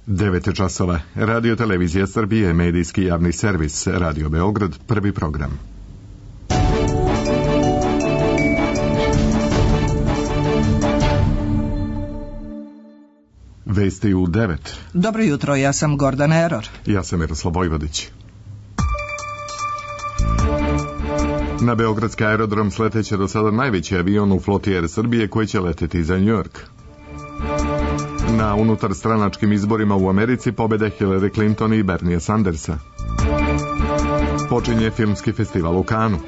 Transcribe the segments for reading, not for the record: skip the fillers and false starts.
9 časova. Radio Televizija Srbije, medijski javni servis, Radio Beograd, prvi program. Vesti u 9. Dobro jutro, ja sam Gordana Eror. Ja sam Miroslav Vojvodić. Na beogradski aerodrom sleteće do sada najveći avion u floti Air Srbije koji će leteti za New York. Na unutarstranačkim izborima u Americi pobede Hillary Clinton i Bernie Sandersa. Počinje filmski festival u Kanu.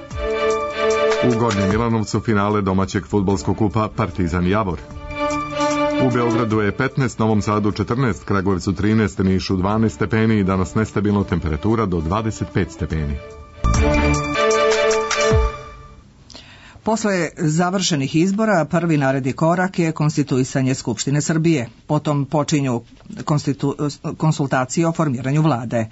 U Gornjem Milanovcu finale domaćeg fudbalskog kupa Partizan Javor. U Beogradu je 15, Novom Sadu 14, Kragujevcu 13, Nišu 12 stepeni i danas nestabilna temperatura do 25 stepeni. Posle završenih izbora, prvi naredni korak je konstituisanje Skupštine Srbije. Potom počinju konsultacije o formiranju vlade.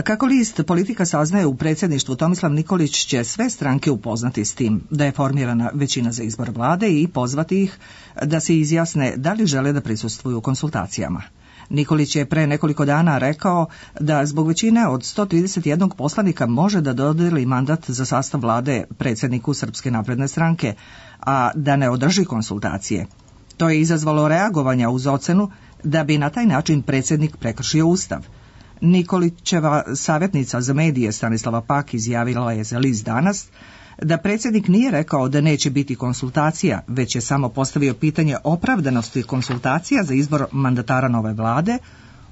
Kako list Politika saznaje, u predsjedništvu Tomislav Nikolić će sve stranke upoznati s tim da je formirana većina za izbor vlade i pozvati ih da se izjasne da li žele da prisustvuju konsultacijama. Nikolić je pre nekoliko dana rekao da zbog većine od 131 poslanika može da dodeli mandat za sastav vlade predsjedniku Srpske napredne stranke, a da ne održi konsultacije. To je izazvalo reagovanja uz ocenu da bi na taj način predsjednik prekršio Ustav. Nikolićeva savjetnica za medije Stanislava Pak izjavila je za list Danas da predsjednik nije rekao da neće biti konsultacija, već je samo postavio pitanje opravdanosti konsultacija za izbor mandatara nove vlade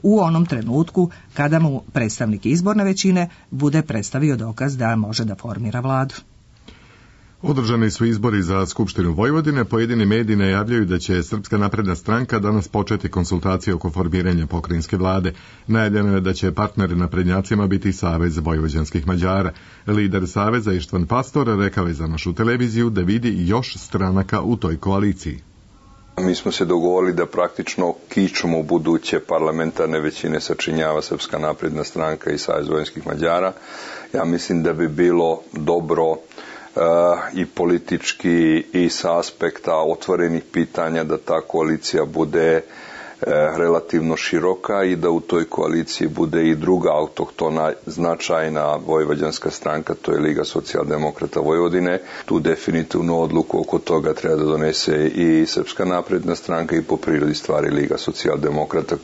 u onom trenutku kada mu predstavnik izborne većine bude predstavio dokaz da može da formira vladu. Održani su izbori za Skupštinu Vojvodine, pojedini mediji najavljaju da će Srpska napredna stranka danas početi konsultacije oko formiranja pokrajinske vlade. Najavljeno je da će partneri naprednjacima biti Savez vojvođanskih Mađara. Lider Saveza Ištvan Pastor rekao je za našu televiziju da vidi još stranaka u toj koaliciji. Mi smo se dogovorili da praktično kičmu buduće parlamentarne većine sačinjava Srpska napredna stranka i Savez vojvođanskih Mađara. Ja mislim da bi bilo dobro i politički i sa aspekta otvorenih pitanja da ta koalicija bude relativno široka i da u toj koaliciji bude i druga autohtona značajna vojvođanska stranka, to je Liga socijaldemokrata Vojvodine. Tu definitivno odluku oko toga treba da donese i Srpska napredna stranka i po prirodi stvari Liga socijaldemokrata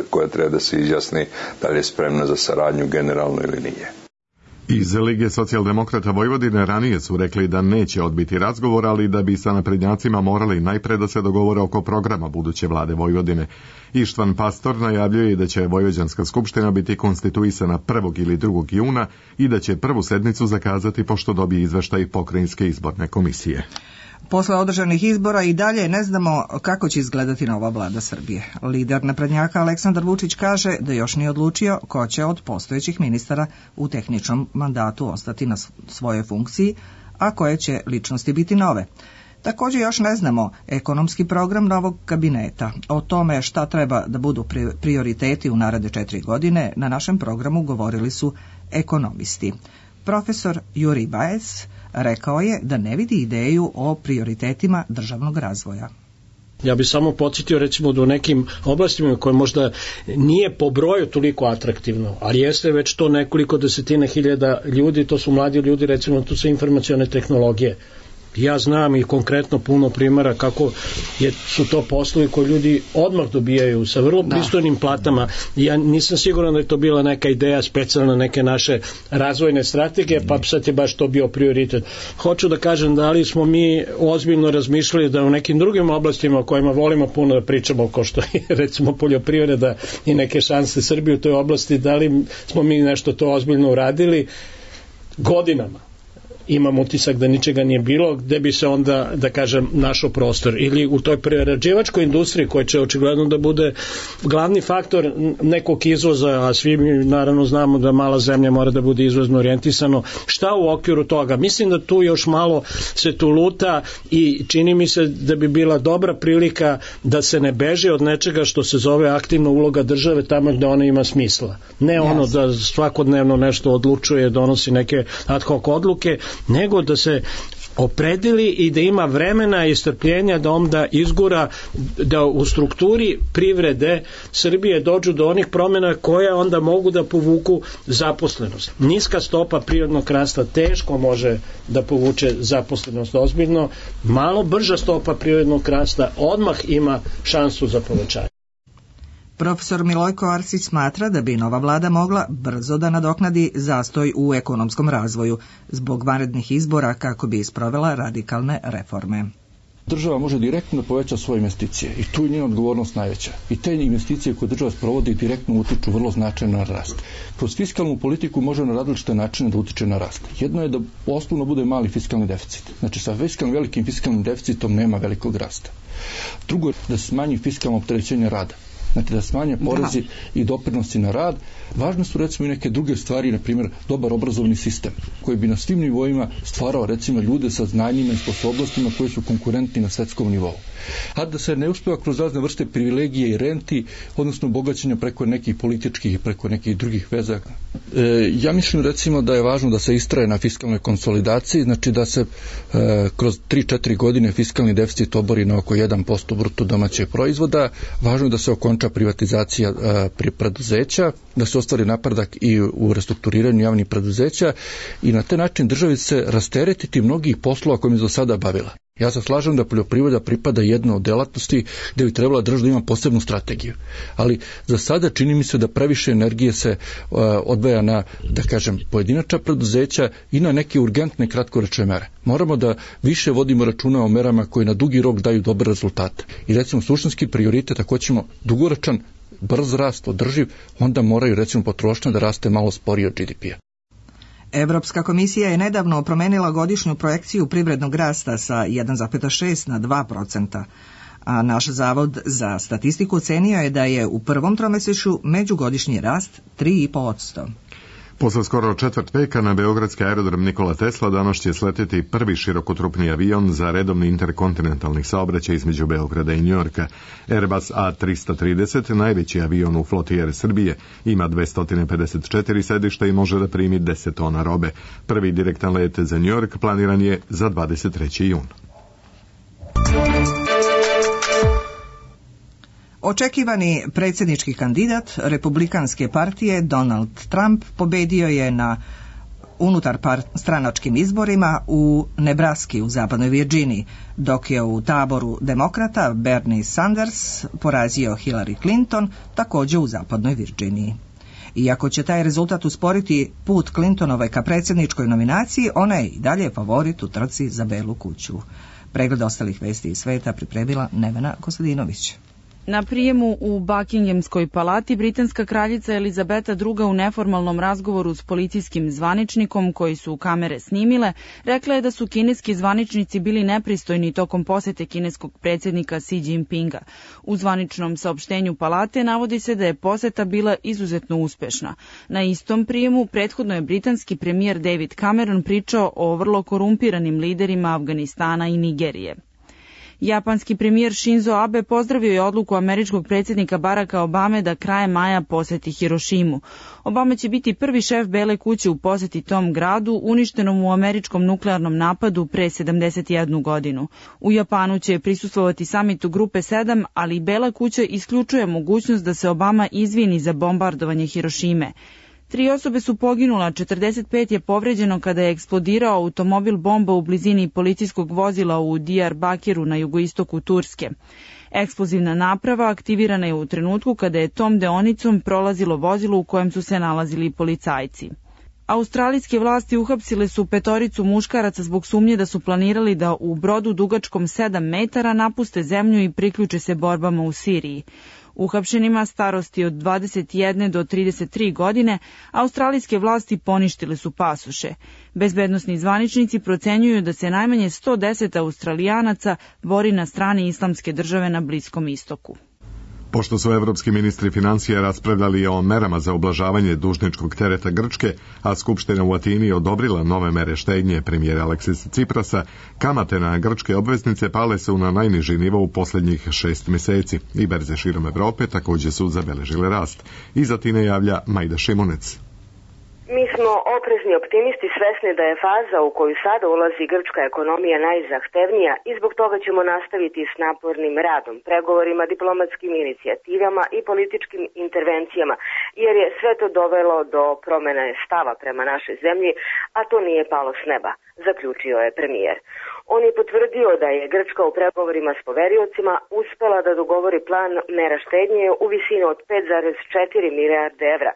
koja treba da se izjasni da li je spremna za saradnju generalno ili nije. Iz Lige socijaldemokrata Vojvodine ranije su rekli da neće odbiti razgovor, ali da bi sa naprednjacima morali najpre da se dogovore oko programa buduće vlade Vojvodine. Ištvan Pastor najavljuje da će Vojvođanska skupština biti konstituisana 1. ili 2. juna i da će prvu sednicu zakazati pošto dobije izveštaj pokrajinske izborne komisije. Posle održanih izbora i dalje ne znamo kako će izgledati nova vlada Srbije. Lider naprednjaka Aleksandar Vučić kaže da još nije odlučio ko će od postojećih ministara u tehničkom mandatu ostati na svojoj funkciji, a koje će ličnosti biti nove. Također još ne znamo ekonomski program novog kabineta. O tome šta treba da budu prioriteti u naredne 4 godine na našem programu govorili su ekonomisti. Profesor Juri Bajec rekao je da ne vidi ideju o prioritetima državnog razvoja. Ja bih samo podsjetio recimo da u nekim oblastima koje možda nije po broju toliko atraktivno, ali jeste već to nekoliko desetina hiljada ljudi, to su mladi ljudi, recimo tu su informacione tehnologije. Ja znam i konkretno puno primjera kako su to poslovi koji ljudi odmah dobijaju sa vrlo pristojnim platama. Ja nisam siguran da je to bila neka ideja specijalna neke naše razvojne strategije, pa sad je baš to bio prioritet. Hoću da kažem da li smo mi ozbiljno razmišljali da u nekim drugim oblastima o kojima volimo puno da pričamo, kao što je recimo poljoprivreda i neke šanse Srbije u toj oblasti, da li smo mi nešto to ozbiljno uradili godinama. Imam utisak da ničega nije bilo, gde bi se onda, da kažem, našao prostor. Ili u toj prerađivačkoj industriji koja će očigledno da bude glavni faktor nekog izvoza, a svi mi naravno znamo da mala zemlja mora da bude izvozno orijentisano. Šta u okviru toga? Mislim da tu još malo se tu luta i čini mi se da bi bila dobra prilika da se ne beže od nečega što se zove aktivna uloga države tamo gde ona ima smisla. Ne ono da svakodnevno nešto odlučuje, donosi neke ad hoc odluke, nego da se opredeli i da ima vremena i strpljenja da onda izgura, da u strukturi privrede Srbije dođu do onih promjena koje onda mogu da povuku zaposlenost. Niska stopa prirodnog rasta teško može da povuče zaposlenost ozbiljno, malo brža stopa prirodnog rasta odmah ima šansu za povećanje. Profesor Milojko Arsić smatra da bi nova vlada mogla brzo da nadoknadi zastoj u ekonomskom razvoju zbog vanrednih izbora kako bi sprovela radikalne reforme. Država može direktno da poveća svoje investicije i tu je njena odgovornost najveća. I te investicije koje država sprovodi direktno utiču vrlo značajno na rast. Kroz fiskalnu politiku može na različite načine da utiče na rast. Jedno je da osnovno bude mali fiskalni deficit. Znači sa velikim fiskalnim deficitom nema velikog rasta. Drugo je da se smanji fiskalno opterećenje rada. Znači da smanje porezi i doprinosi na rad. Važne su recimo i neke druge stvari, na primjer dobar obrazovni sistem koji bi na svim nivoima stvarao recimo ljude sa znanjima i sposobnostima koji su konkurentni na svetskom nivou. A da se ne uspeva kroz razne vrste privilegije i renti, odnosno bogaćenja preko nekih političkih i preko nekih drugih veza. Ja mislim recimo da je važno da se istraje na fiskalnoj konsolidaciji, znači da se kroz 3-4 godine fiskalni deficit obori na oko 1% bruto domaćeg proizvoda. Važno je da se okonča privatizacija preduzeća, da se ostvari napredak i u restrukturiranju javnih preduzeća i na taj način državi se rasteretiti mnogih poslova kojim je do sada bavila. Ja se slažem da poljoprivreda pripada jednoj od delatnosti gde bi trebala država da ima posebnu strategiju. Ali za sada čini mi se da previše energije se odvaja na, da kažem, pojedinačna preduzeća i na neke urgentne kratkoročne mere. Moramo da više vodimo računa o merama koje na dugi rok daju dobre rezultate. I recimo suštinski prioritet, ako ćemo dugoročan, brz rast, održiv, onda moraju recimo potrošnja da raste malo sporije od GDP-a. Evropska komisija je nedavno promenila godišnju projekciju privrednog rasta sa 1,6 na 2%, a naš Zavod za statistiku ocenio je da je u prvom tromesečju međugodišnji rast 3,5%. Posle skoro četvrt veka na beogradski aerodrom Nikola Tesla danas će sleteti prvi širokotrupni avion za redovni interkontinentalni saobraćaj između Beograda i Njujorka. Airbus A330, najveći avion u floti Air Srbije, ima 254 sedišta i može da primi 10 tona robe. Prvi direktan let za Njujork planiran je za 23. jun. Očekivani predsjednički kandidat Republikanske partije Donald Trump pobedio je na unutar stranačkim izborima u Nebraski u zapadnoj Virginiji, dok je u taboru demokrata Bernie Sanders porazio Hillary Clinton također u zapadnoj Virginiji. Iako će taj rezultat usporiti put Clintonove ka predsjedničkoj nominaciji, ona je i dalje favorit u trci za Belu kuću. Pregled ostalih vesti iz sveta pripremila Nevena Kostadinović. Na prijemu u Buckinghamskoj palati britanska kraljica Elizabeta II u neformalnom razgovoru s policijskim zvaničnikom koji su kamere snimile, rekla je da su kineski zvaničnici bili nepristojni tokom posete kineskog predsjednika Xi Jinpinga. U zvaničnom saopštenju palate navodi se da je poseta bila izuzetno uspešna. Na istom prijemu prethodno je britanski premijer David Cameron pričao o vrlo korumpiranim liderima Afganistana i Nigerije. Japanski premijer Shinzo Abe pozdravio je odluku američkog predsjednika Baracka Obame da krajem maja poseti Hirošimu. Obama će biti prvi šef Bele kuće u poseti tom gradu, uništenom u američkom nuklearnom napadu pre 71 godinu. U Japanu će prisustvovati samitu Grupe 7, ali Bela kuća isključuje mogućnost da se Obama izvini za bombardovanje Hirošime. 3 osobe su poginula, 45 je povređeno kada je eksplodirao automobil bomba u blizini policijskog vozila u Diyarbakiru na jugoistoku Turske. Eksplozivna naprava aktivirana je u trenutku kada je tom deonicom prolazilo vozilo u kojem su se nalazili policajci. Australijske vlasti uhapsile su 5 muškaraca zbog sumnje da su planirali da u brodu dugačkom 7 metara napuste zemlju i priključe se borbama u Siriji. Uhapšenima starosti od 21 do 33 godine, australijske vlasti poništile su pasoše. Bezbednosni zvaničnici procenjuju da se najmanje 110 Australijanaca bori na strani Islamske države na Bliskom istoku. Pošto su evropski ministri financija raspravljali o merama za ublažavanje dužničkog tereta Grčke, a Skupština u Atini odobrila nove mere štednje premijera Aleksisa Ciprasa, kamate na grčke obveznice pale su na najniži nivo u posljednjih 6 mjeseci i berze širom Evrope također su zabeležile rast. Iz Atine javlja Majda Šimunec. Mi smo oprezni optimisti svesni da je faza u koju sada ulazi grčka ekonomija najzahtevnija i zbog toga ćemo nastaviti s napornim radom, pregovorima, diplomatskim inicijativama i političkim intervencijama, jer je sve to dovelo do promene stava prema našoj zemlji, a to nije palo s neba, zaključio je premijer. On je potvrdio da je Grčka u pregovorima s poveriocima uspela da dogovori plan mera štednje u visini od 5,4 milijarde evra,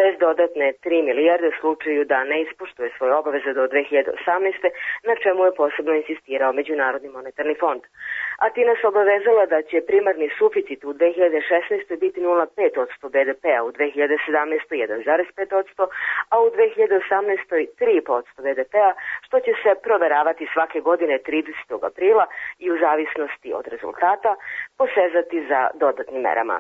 bez dodatne 3 milijarde u slučaju da ne ispoštuje svoje obaveze do 2018. na čemu je posebno insistirao Međunarodni monetarni fond. Atina se obavezala da će primarni suficit u 2016. biti 0,5% BDP-a, u 2017. 1,5%, a u 2018. 3% BDP-a, što će se proveravati svake godine 30. aprila i u zavisnosti od rezultata posezati za dodatnim merama.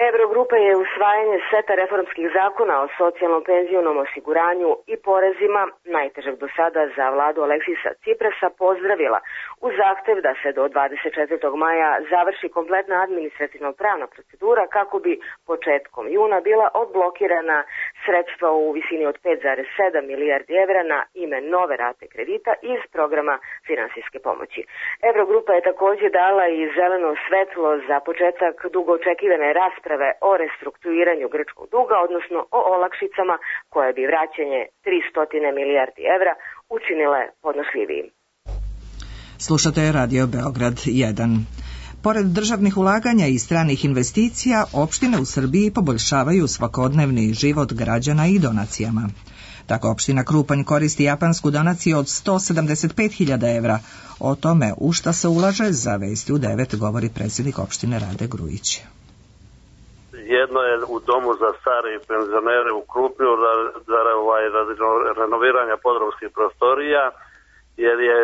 Eurogrupa je usvajanje seta reformskih zakona o socijalnom penzionom osiguranju i porezima, najtežeg do sada za vladu Aleksisa Ciprasa, pozdravila uz zahtev da se do 24. maja završi kompletna administrativno-pravna procedura kako bi početkom juna bila odblokirana sredstva u visini od 5,7 milijardi evra na ime nove rate kredita iz programa finansijske pomoći. Eurogrupa je također dala i zeleno svetlo za početak dugo očekivane rasprave o restrukturiranju grčkog duga, odnosno o olakšicama koje bi vraćanje 300 milijardi evra učinile podnošljivijim. Slušate Radio Beograd 1. Pored državnih ulaganja i stranih investicija, opštine u Srbiji poboljšavaju svakodnevni život građana i donacijama. Tako opština Krupanj koristi japansku donaciju od 175.000 evra. O tome u šta se ulaže za Vesti u 9 govori predsjednik opštine Rade Grujić. Jedno je u domu za stare i penzionere u Krupnju radi renoviranja podrumskih prostorija, jer je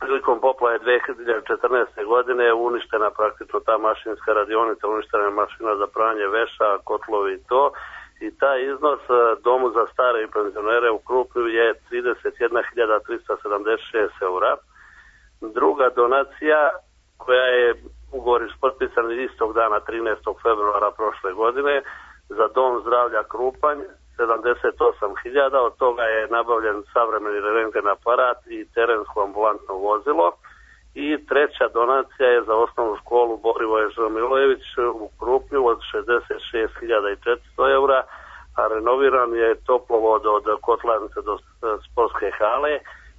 prilikom poplave 2014. godine uništena praktično ta mašinska radionica, uništena je mašina za pranje veša, kotlovi i to. I taj iznos domu za stare i penzionere u Krupnju je 31.376 eura. Druga donacija koja je ugovor potpisan istog dana 13. februara prošle godine za dom zdravlja Krupanj 78.000, od toga je nabavljen savremeni rentgen aparat i terensko ambulantno vozilo. I treća donacija je za osnovnu školu Borivoje Žmilojević u Krupnju od 66.400 eura, a renoviran je toplovod od kotlarnice do sportske hale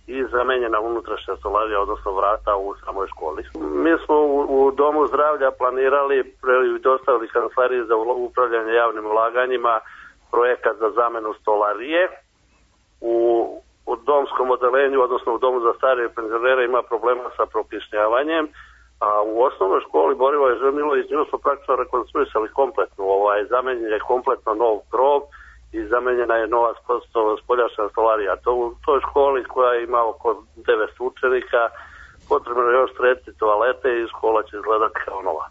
i zamenjena unutrašnja stolarija, odnosno vrata u samoj školi. Mi smo u domu zdravlja planirali i dostavili kancelariji za upravljanje javnim ulaganjima projekat za zamenu stolarije. U domskom odelenju, odnosno u domu za starije penzionere ima problema sa prokišnjavanjem, a u osnovnoj školi Borivoje Žmilojević nju smo praktično rekonstruisali kompletno. Zamenjen je kompletno nov krov i zamenjena je nova spoljašnja stolarija. U toj školi koja ima oko 900 učenika potrebno je još srediti toalete i škola će izgledati kao nova.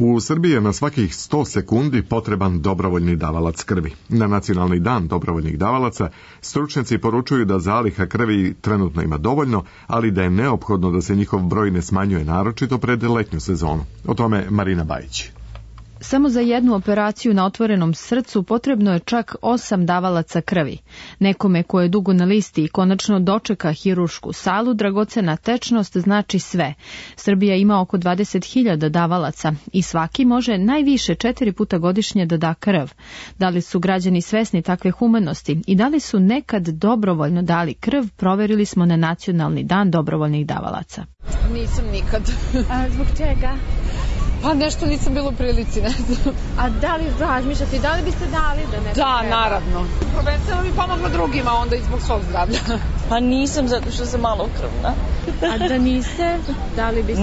U Srbiji je na svakih 100 sekundi potreban dobrovoljni davalac krvi. Na Nacionalni dan dobrovoljnih davalaca stručnjaci poručuju da zaliha krvi trenutno ima dovoljno, ali da je neophodno da se njihov broj ne smanjuje, naročito pred letnju sezonu. O tome Marina Bajić. Samo za jednu operaciju na otvorenom srcu potrebno je čak 8 davalaca krvi. Nekome ko je dugo na listi i konačno dočeka hiruršku salu, dragocena tečnost znači sve. Srbija ima oko 20.000 davalaca i svaki može najviše 4 puta godišnje da da krv. Da li su građani svesni takve humanosti i da li su nekad dobrovoljno dali krv, proverili smo na Nacionalni dan dobrovoljnih davalaca. Nisam nikad. A zbog čega? Pa nešto nisam bilo u prilici, ne znam. A da li razmišljate, da li biste dali da neko Da, treba? naravno. Prvenstveno bi pomogla drugima, onda i zbog svog zdravlja. Pa nisam, zato što sam malo krvna. A da niste, da li biste?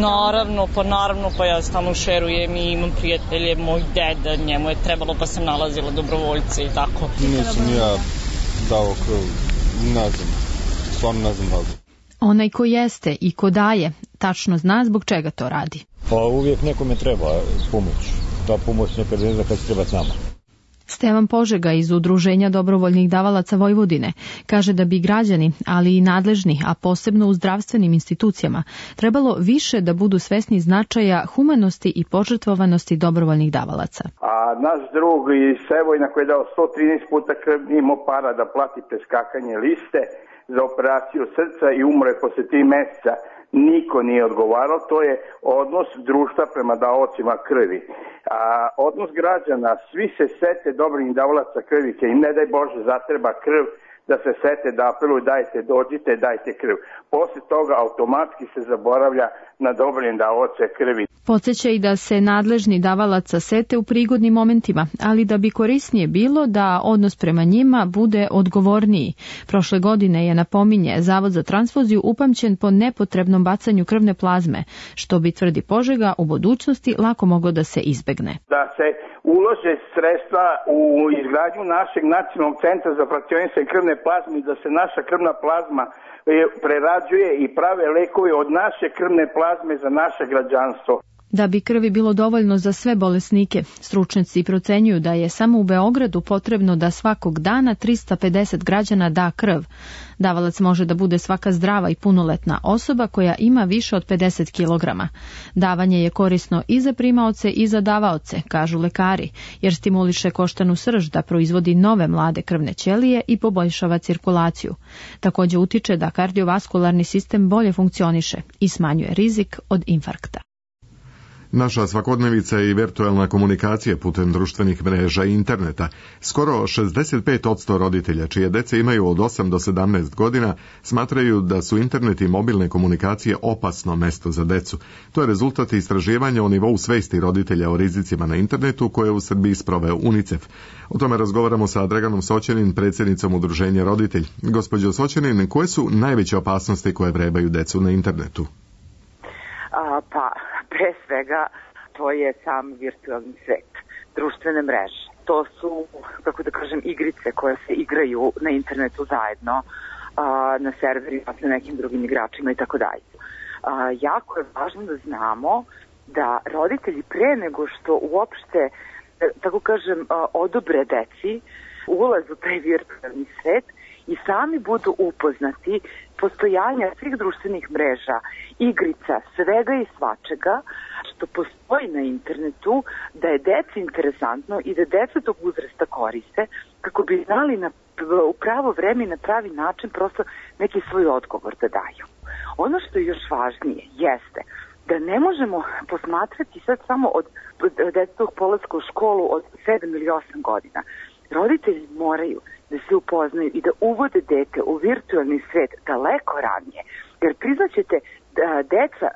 Naravno, pa ja stalno šerujem i imam prijatelje, moj deda, njemu je trebalo pa sam nalazila dobrovoljce i tako. Nisam ja dao krv, ne znam, stvarno ne znam razlog. Onaj ko jeste i ko daje, tačno zna zbog čega to radi. Pa uvijek nekome treba pomoć. Ta pomoć nekad ne zna kad se treba s nama. Stevan Požega iz Udruženja dobrovoljnih davalaca Vojvodine kaže da bi građani, ali i nadležni, a posebno u zdravstvenim institucijama, trebalo više da budu svesni značaja humanosti i požrtvovanosti dobrovoljnih davalaca. A naš drug iz Sevojna koji je dao 113 puta krv nije imao para da plati preskakanje liste za operaciju srca i umre posle 3 meseca. Niko nije odgovarao, to je odnos društva prema davaocima krvi. A odnos građana, svi se sete dobrih davalaca krvi, kad im ne daj Bože zatreba krv, da se sete da apeluju dajte, dođite, dajte krv. Posle toga automatski se zaboravlja na dobrim davaoce krvi. Podseća i da se nadležni davalaca sete u prigodnim momentima, ali da bi korisnije bilo da odnos prema njima bude odgovorniji. Prošle godine je, napominje, Zavod za transfuziju upamćen po nepotrebnom bacanju krvne plazme, što bi, tvrdi Požega, u budućnosti lako moglo da se izbegne. Da se ulože sredstva u izgradnju našeg nacionalnog centra za frakcionisanje krvne plazme i da se naša krvna plazma prerađuje i prave lekovi od naše krvne plazme za naše građanstvo. Da bi krvi bilo dovoljno za sve bolesnike, stručnjaci procenjuju da je samo u Beogradu potrebno da svakog dana 350 građana da krv. Davalac može da bude svaka zdrava i punoletna osoba koja ima više od 50 kg. Davanje je korisno i za primaoce i za davaoce, kažu lekari, jer stimuliše koštanu srž da proizvodi nove mlade krvne ćelije i poboljšava cirkulaciju. Također utiče da kardiovaskularni sistem bolje funkcioniše i smanjuje rizik od infarkta. Naša svakodnevica i virtualna komunikacija putem društvenih mreža i interneta. Skoro 65% roditelja čije dece imaju od 8 do 17 godina smatraju da su internet i mobilne komunikacije opasno mesto za decu. To je rezultat istraživanja o nivou svesti roditelja o rizicima na internetu koje u Srbiji sproveo UNICEF. O tome razgovaramo sa Draganom Soćanin, predsjednicom Udruženja Roditelj. Gospođo Soćanin, koje su najveće opasnosti koje vrebaju decu na internetu? Pre svega, to je sam virtualni svet, društvene mreže. To su, kako da kažem, igrice koje se igraju na internetu zajedno, na serverima sa nekim drugim igračima i tako dalje. Jako je važno da znamo da roditelji pre nego što uopšte, tako kažem, odobre deci ulaz u taj virtualni svet i sami budu upoznati postojanja svih društvenih mreža, igrica, svega i svačega što postoji na internetu, da je deci interesantno i da deca tog uzrasta koriste kako bi znali u pravo vreme i na pravi način prosto neki svoj odgovor da daju. Ono što je još važnije jeste da ne možemo posmatrati sad samo od detetog polaska u školu od 7 ili 8 godina. Roditelji moraju da se upoznaju i da uvode dete u virtualni svet daleko ranije. Jer priznaćete da deca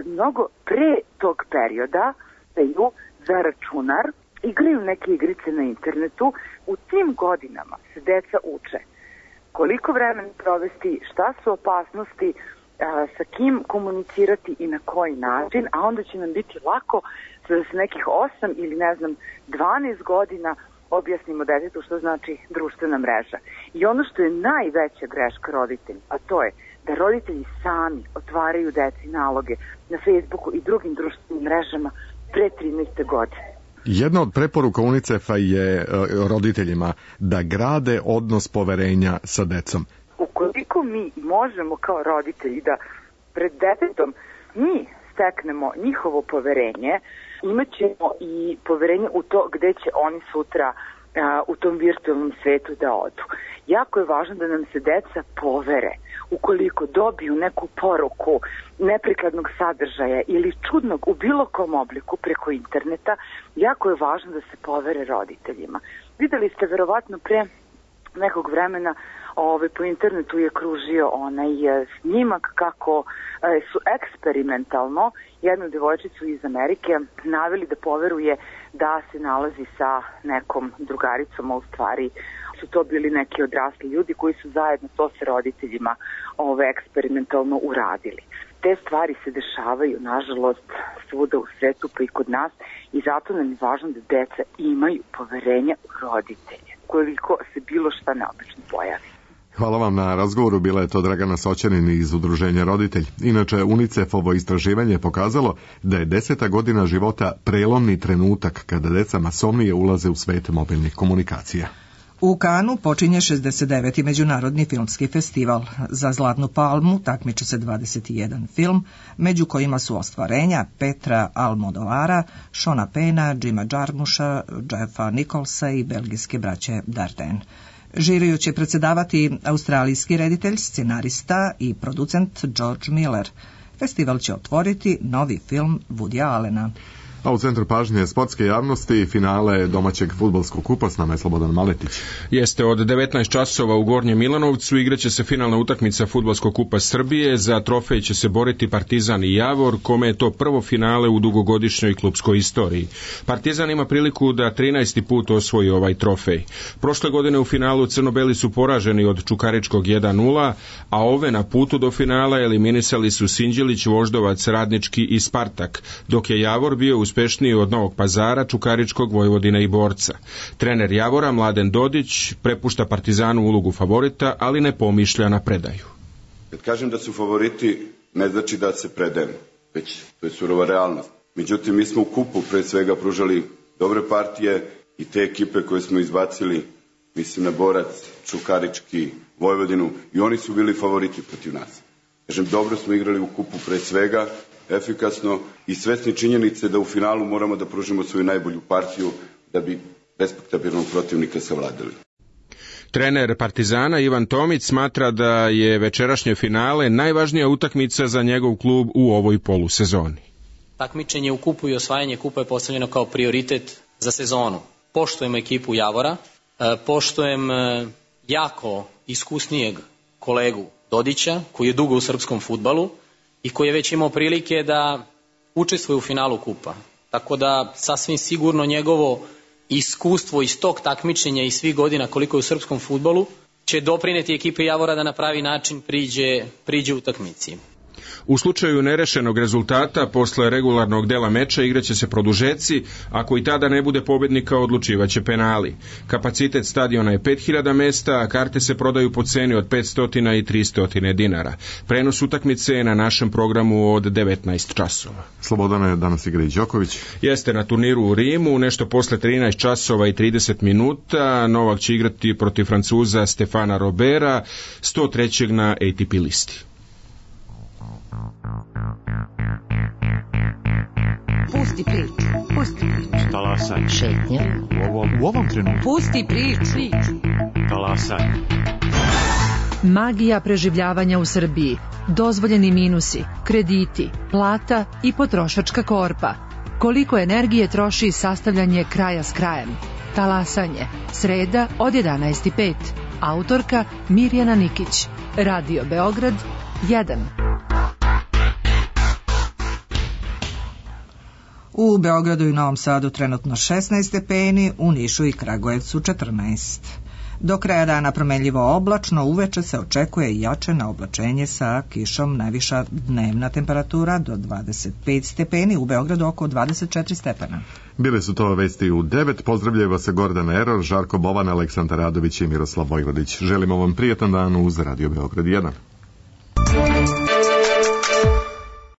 mnogo pre tog perioda daju za računar, igraju neke igrice na internetu. U tim godinama se deca uče koliko vremena provesti, šta su opasnosti, sa kim komunicirati i na koji način, a onda će nam biti lako da se nekih 8 ili 12 godina objasnimo detetu što znači društvena mreža. I ono što je najveća greška roditelja, a to je da roditelji sami otvaraju deci naloge na Facebooku i drugim društvenim mrežama pre 13. godine. Jedna od preporuka UNICEF-a je roditeljima da grade odnos poverenja sa decom. Ukoliko mi možemo kao roditelji da pred detetom mi steknemo njihovo poverenje, imat ćemo i poverenje u to gde će oni sutra u tom virtualnom svetu da odu. Jako je važno da nam se deca povere. Ukoliko dobiju neku poruku neprikladnog sadržaja ili čudnog u bilo kom obliku preko interneta, jako je važno da se povere roditeljima. Videli ste verovatno pre nekog vremena po internetu je kružio onaj snimak kako su eksperimentalno jednu devojčicu iz Amerike naveli da poveruje da se nalazi sa nekom drugaricom, a u stvari su to bili neki odrasli ljudi koji su zajedno to sa roditeljima eksperimentalno uradili. Te stvari se dešavaju, nažalost, svuda u svetu pa i kod nas i zato nam je važno da deca imaju poverenja u roditelje koliko se bilo šta neobično pojavi. Hvala vam na razgovoru, bila je to Dragana Soćanin iz Udruženja Roditelj. Inače, UNICEF-ovo istraživanje pokazalo da je 10. godina života prelomni trenutak kada deca masovnije ulaze u svet mobilnih komunikacija. U Kanu počinje 69. Međunarodni filmski festival. Za Zlatnu palmu takmiče se 21 film, među kojima su ostvarenja Petra Almodovara, Šona Pena, Jima Jarmusha, Jeffa Nicholsa i belgijske braće Dardenne. Žiriju će predsedavati australijski reditelj, scenarista i producent George Miller. Festival će otvoriti novi film Woodya Allena. A u centru pažnje sportske javnosti finale domaćeg fudbalskog kupa, s nama je Slobodan Maletić. Jeste, od 19 časova u Gornjem Milanovcu igraće se finalna utakmica fudbalskog kupa Srbije. Za trofej će se boriti Partizan i Javor, kome je to prvo finale u dugogodišnjoj klupskoj istoriji. Partizan ima priliku da 13. put osvoji ovaj trofej. Prošle godine u finalu crno-beli su poraženi od Čukaričkog 1-0, a ove na putu do finala eliminisali su Sinđelić, Voždovac, Radnički i Spartak, dok je Javor bio uspešniji od Novog Pazara, Čukaričkog, Vojvodina i Borca. Trener Javora, Mladen Dodić, prepušta Partizanu ulogu favorita, ali ne pomišlja na predaju. Kad kažem da su favoriti, ne znači da se predajemo, već to je surova realnost. Međutim, mi smo u kupu pre svega pružali dobre partije i te ekipe koje smo izbacili, mislim na Borac, Čukarički, Vojvodinu, i oni su bili favoriti protiv nas. Kažem, dobro smo igrali u kupu pre svega, efikasno i svesni činjenice da u finalu moramo da pružimo svoju najbolju partiju da bi respektabilnog protivnika savladali. Trener Partizana Ivan Tomić smatra da je večerašnje finale najvažnija utakmica za njegov klub u ovoj polusezoni. Takmičenje u kupu i osvajanje kupa je postavljeno kao prioritet za sezonu. Poštujemo ekipu Javora, poštujem jako iskusnijeg kolegu Dodića, koji je dugo u srpskom fudbalu i koji je već imao prilike da učestvuje u finalu kupa. Tako da sasvim sigurno njegovo iskustvo iz tog takmičenja i svih godina koliko je u srpskom fudbalu će doprineti ekipe Javora da na pravi način priđe utakmici. U slučaju nerešenog rezultata, posle regularnog dela meča igraće se produžeci, ako i tada ne bude pobednika, odlučivaće penali. Kapacitet stadiona je 5000 mesta, a karte se prodaju po ceni od 500 i 300 dinara. Prenos utakmice je na našem programu od 19 časova. Slobodana, danas igra i Đoković. Jeste na turniru u Rimu, nešto posle 13 časova i 30 minuta. Novak će igrati protiv Francuza Stefana Robera, 103. na ATP listi. Pusti priču, pusti priču. Talasaj. Šetnja. U ovom trenutku. Pusti priču. Talasaj. Magija preživljavanja u Srbiji, dozvoljeni minusi, krediti, plata i potrošačka korpa. Koliko energije troši sastavljanje kraja s krajem? Talasanje. Sreda od 11:05. Autorka Mirjana Nikić. Radio Beograd 1. U Beogradu i Novom Sadu trenutno 16 stepeni, u Nišu i Kragujevcu 14. Do kraja dana promenljivo oblačno, uveče se očekuje jače na oblačenje sa kišom, najviša dnevna temperatura do 25 stepeni, u Beogradu oko 24 stepena. Bile su to vesti u 9, pozdravljaju vas Gordana Eror, Žarko Bovan, Aleksandar Radović i Miroslav Vojvodić. Želimo vam prijetan dan uz Radio Beograd 1.